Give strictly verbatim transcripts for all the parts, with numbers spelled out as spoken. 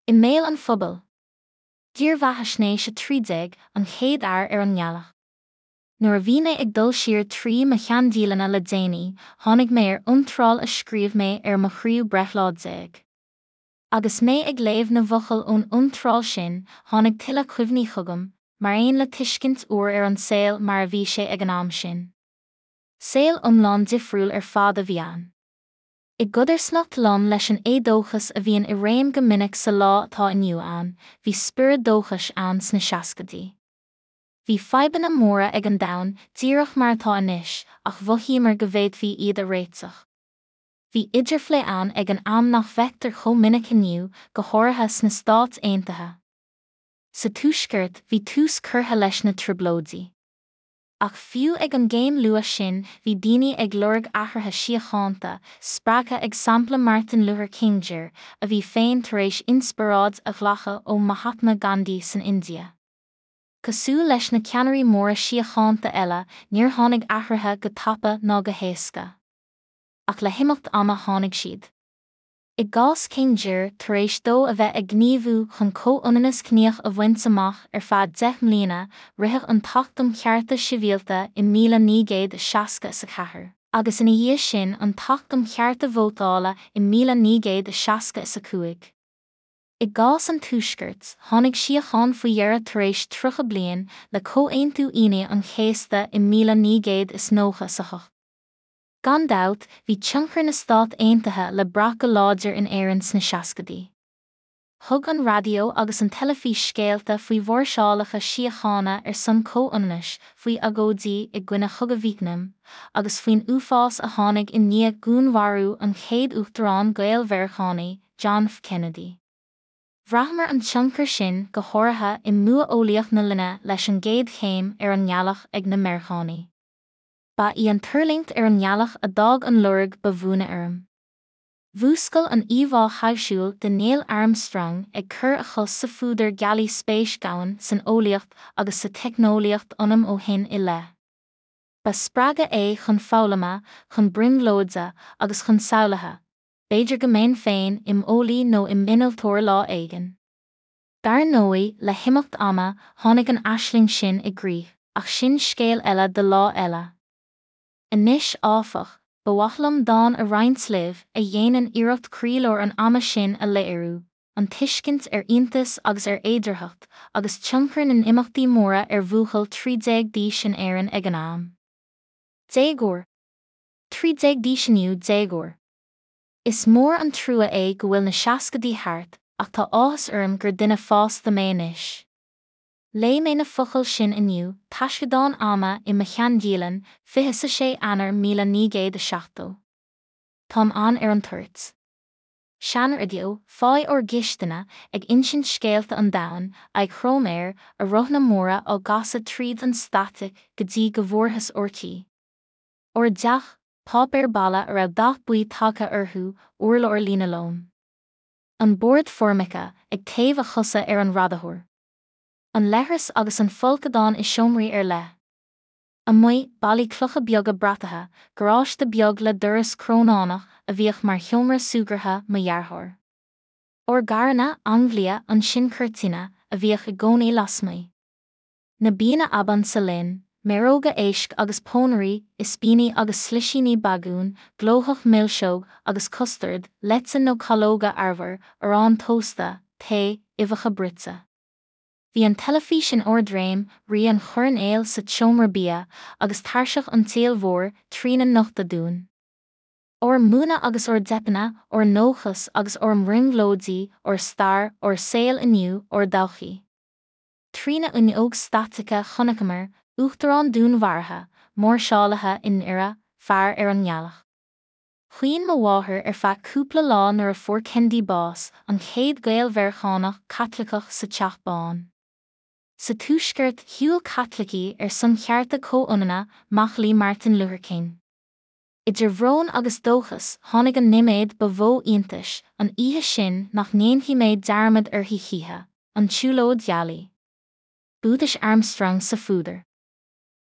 I mbéal an phobail. Dírbheathaisnéis a trí déag, An Chéad Fhear ar an nGealach. Nuair a bhí mé ag dul siar trí mo sheandialanna le déanaí, tháinig mé ar iontráil a scríobh mé ar mo thríú breithlá déag. Agus mé ag léamh na bhfocal ón iontráil sin, tháinig tuilleadh cuimhní chugam, mar aon le tuiscint úr ar an saol mar a bhí sé ag an am sin. Saol iomlán difriúil ar fad a bhí ann. I gcodarsnacht lom leis an éadóchas a bhíonn i réim go minic sa lá atá inniu ann, bhí spiorad dóchais ann sna seascaidí. Bhí fadhbanna móra ag an domhan, díreach mar atá anois, ach mhothaíomar go bhféadfaí iad a réiteach. Bhí idirphlé ann ag an am nach bhfeictear chomh minic inniu, go háirithe sna Stáit Aontaithe. Sa Tuaisceart, bhí tús curtha leis na Trioblóidí. Ach fiú ag an gcéim luath sin bhí daoine ag lorg athruithe síochánta, spreagtha ag sampla Martin Luther King Jr, a bhí féin tar éis inspioráid a ghlacadh ó Mahatma Gandhi san India. Cosúil leis na ceannairí móra síochánta eile, níor tháinig athruithe go tapa ná go héasca. Ach le himeacht ama tháinig siad. I gcás King Jr, tar éis dó a bheith ag gníomhú chun comhionannas ciníoch a bhaint amach ar feadh deich mbliana, ritheadh an tAcht um Chearta Sibhialta i míle naoi gcéad is seasca is a ceathair, agus ina dhiaidh sin an tAcht um Chearta Vótála i míle naoi gcéad is seasca is a cúig. I gcás an Tuaiscirt, tháinig síocháin faoi dheireadh tar éis tríocha bliain, le Comhaontú Aoine an Chéasta i míle naoi gcéad is nócha is a hocht. Gan dabht, bhí tionchar na Stát Aontaithe le brath go láidir in Éirinn sna seascaidí. Thug an raidió agus an teilifís scéalta faoi mháirseálacha síochána ar son comhionannais, faoi agóidí i gcoinne Chogadh Vítneam, agus faoin uafás a tháinig i ndiaidh dhúnmharú an chéad uachtaráin Gael-Mheiriceánaigh, John F. Kennedy. Bhraitheamar an tionchar sin go háirithe i mbua eolaíoch na linne leis an gcéad chéim ar an ngealach ag na Meiriceánaigh. Ba í an tuirlingt ar an ngealach a d'fhág an lorg ba bhuaine orm. Mhúscail an íomhá thaibhsiúil de Neil Armstrong ag cur a chos sa phúdar gealaí spéis dhomhain san eolaíocht agus sa teicneolaíocht ionam ó shin i leith. Ba spreagadh é chun foghlama, chun brionglóide agus chun samhlaithe, b'fhéidir go mbeinn féin im eolaí nó im innealtóir lá éigin. Dar ndóigh, le himeacht ama, tháinig an aisling sin i gcrích, ach sin scéal eile do lá eile. Anois, áfach, ba mhaith liom dán a roinnt libh a dhéanann iarracht croílár an ama sin a léiriú, an tuiscint ar iontas agus ar fhéidearthacht, agus tionchar na n-imeachtaí móra ar bhuachaill trí déag d'aois in Éirinn ag an am. Déagóir. Trí déag d'aois inniu, déagóir. Is mór an trua é go bhfuil na seascaidí thart, ach tá áthas orm gur duine fásta mé anois. Léigh mé na focail sin inniu, taisceadán ama i mo sheandialann, fiche a sé Eanáir míle naoi gcéad a seachtó. Táim ann ar an toirt. Seanraidió, fáidh ár gcistine, ag insint scéalta an domhain, aghaidh throm air, a rothanna móra á gcasadh tríd an staitic go dtí go bhfuarthas orthaí. Ár dteach, páipéar balla a raibh dath buí tagtha orthu, urlár líonalóim. An bord formica, ag téamh a chosa ar an radaitheoir. An leithreas agus an folcadán i seomraí ar leith. Amuigh, ballaí clocha beaga brataithe, garáiste beag le doras crónánach a bhíodh mar sheomra súgartha mo dheartháir. Ár gcarranna, Anglia, ansin Cortina, a bhíodh i gcónaí lasmuigh. Na bianna ab ansa linn, méaróga éisc agus pónairí, ispíní agus slisíní bagún, glóthach milseog agus custard, leite nó calóga arbhair, arán tósta, tae, uibheacha bruite. Bhí an teilifís in ardréim, rí an choirnéil sa tseomra bia, agus tairseach an tsaoil mhóir trína nochtadh dúinn. Ár mbuanna agus ár dteipeanna, ár ndóchas agus ár mbrionglóidí, ár stair, ár saol inniu, ár dtodhchaí. Trína fhuinneog staitice chonaiceamar, uachtarán dúnmharaithe, máirseálaithe i nDoire, fear ar an ngealach. Chaoin mo mháthair ar feadh cúpla lá nuair a fuair Kennedy bás, an chéad Ghael-Mheiriceánach Caitliceach sa Teach Bán. Sa Tuaisceart, shiúil Caitlicigh ar son chearta comhionanna, macallaí Martin Luther King. Idir bhrón agus dóchas, tháinig an nóiméad ba mhó iontais, an oíche sin nach ndéanfaidh mé dearmad uirthi choíche, an tsiúlóid ghealaí. Buatais Armstrong sa phúdar.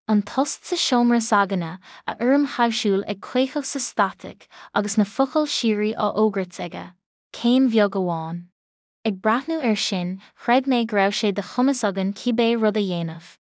An tost sa seomra s'againne, a fhoirm thaibhsiúil ag caochadh sa staitic agus na focail síoraí á fhógairt aige, céim bheag amháin. Ag breathnú air sin, chreid mé go raibh sé de chumas againn cibé rud a dhéanamh.